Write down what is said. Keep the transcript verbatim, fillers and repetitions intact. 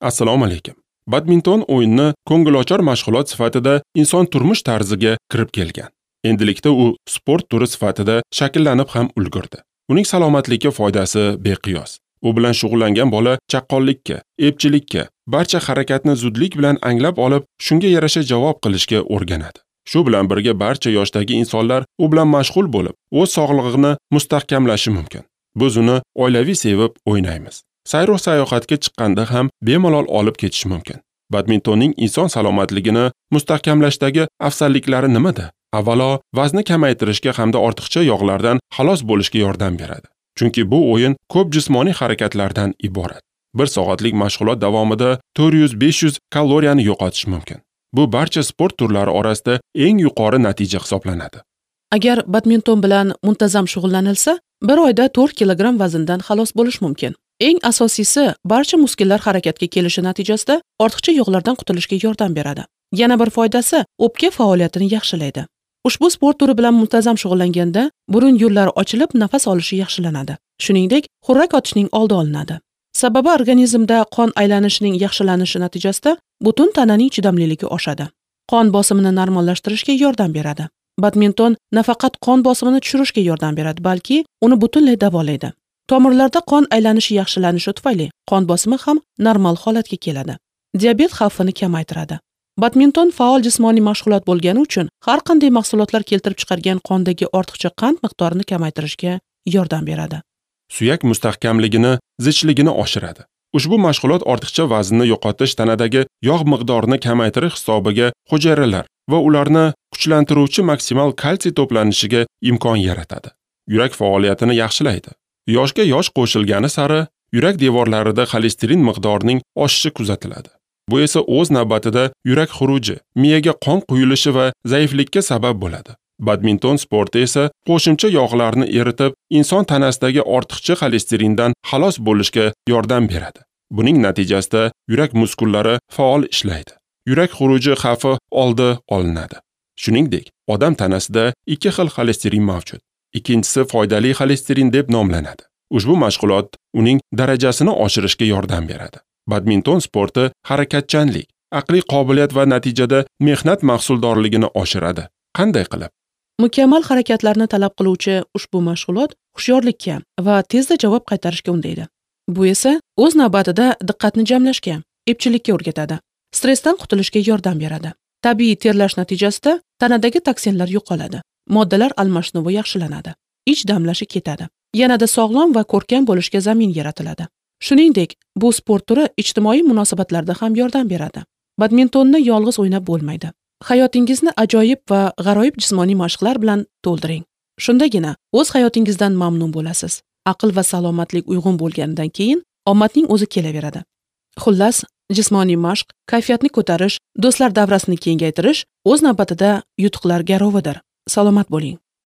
Assalomu alaykum. Badminton o'yini ko'ngilochar mashg'ulot sifatida inson turmush tarziga kirib kelgan. Endilikda u sport turi sifatida shakllanib ham ulgurdi. Uning salomatlikka foydasi beqiyos. U bilan shug'ullangan bola chaqqonlikka, epchilikka, barcha harakatni zudlik bilan anglab olib, shunga yarasha javob qilishga o'rganadi. Shu bilan birga barcha yoshdagi insonlar u bilan mashg'ul bo'lib, o'z sog'lig'ini mustahkamlashi mumkin. Biz uni oilaviy sevib o'ynaymiz. Sayr sayohatga chiqqanda ham bemalol olib ketish mumkin. Badmintonning inson salomatligini mustahkamlashdagi afzalliklari nimada? Avvalo, vazni kamaytirishga hamda ortiqcha yog'lardan xalos bo'lishga yordam beradi. Chunki bu o'yin ko'p jismoniy harakatlardan iborat. Bir soatlik mashg'ulot davomida to'rt yuz besh yuz kaloriyani yo'qotish mumkin. Bu barcha sport turlari orasida eng yuqori natija hisoblanadi. Agar badminton bilan muntazam shug'ullanilsa, bir oyda to'rt kilogramm vazndan xalos bo'lish mumkin. Eng asosiysi, barcha muskullar harakatga kelishi natijasida ortiqcha yog'lardan qutulishga yordam beradi. Yana bir foydasi, o'pka faoliyatini yaxshilaydi. Ushbu sport turi bilan muntazam shug'ullanganda burun yo'llari ochilib, nafas olishi yaxshilanadi. Shuningdek, xurrak otishning oldi olinadi. Sababi organizmda qon aylanishining yaxshilanishi natijasida butun tananing chidamliligi oshadi. Qon bosimini normallashtirishga yordam beradi. Badminton nafaqat qon bosimini tushirishga yordam beradi, balki uni butunlay davolaydi. Tomirlarda qon aylanishi yaxshilanishi tufayli qon bosimi ham normal holatga keladi. Diabet xavfini kamaytiradi. Badminton faol jismoniy mashg'ulot bo'lgani uchun har qanday mahsulotlar keltirib chiqargan qondagi ortiqcha qand miqdorini kamaytirishga yordam beradi. Suyak mustahkamligini, zichligini oshiradi. Ushbu mashg'ulot ortiqcha vaznni yo'qotish, tanadagi yog' miqdorini kamaytirish hisobiga hujayralar va ularni kuchlantiruvchi maksimal kalsiy to'planishiga imkon yaratadi. Yurak faoliyatini yaxshilaydi. Yoshga yosh qo'shilgani sari yurak devorlarida xolesterin miqdorining oshishi kuzatiladi. Bu esa o'z navbatida yurak xuruji, miyaga qon quyilishi va zaiflikka sabab bo'ladi. Badminton sporti esa qo'shimcha yog'larni eritib, inson tanasidagi ortiqcha xolesterindan xalos bo'lishga yordam beradi. Buning natijasida yurak muskullari faol ishlaydi. Yurak xuruji xavfi oldi olinadi. Shuningdek, odam tanasida ikki xil xolesterin mavjud. Ikkinchisi foydali xolesterin deb nomlanadi. Ushbu mashg'ulot uning darajasini oshirishga yordam beradi. Badminton sporti harakatchanlik, aqliy qobiliyat va natijada mehnat mahsuldorligini oshiradi. Qanday qilib? Mukammal harakatlarni talab qiluvchi ushbu mashg'ulot hushyorlikka va tezda javob qaytarishga undaydi. Bu esa o'z navbatida diqqatni jamlashga, epchillikka o'rgatadi. Stressdan qutulishga yordam beradi. Tabiiy terlash natijasida tanadagi toksinlar yo'qoladi. Moddalar almashinuvi yaxshilanadi. Ich damlashi ketadi. Yanada sog'lom va ko'rkam bo'lishga zamin yaratiladi. Shuningdek, bu sport turi ijtimoiy munosabatlarda ham yordam beradi. Badmintonni yolg'iz o'ynab bo'lmaydi. Hayotingizni ajoyib va g'aroyib jismoniy mashqlar bilan to'ldiring. Shundagina o'z hayotingizdan mamnun bo'lasiz. Aql va salomatlik uyg'un bo'lganidan keyin omadning o'zi kelaveradi. Xullas, jismoniy mashq, kayfiyatni ko'tarish, do'stlar davrasini kengaytirish o'z navbatida yutuqlar garovidir. Salomat bo'ling.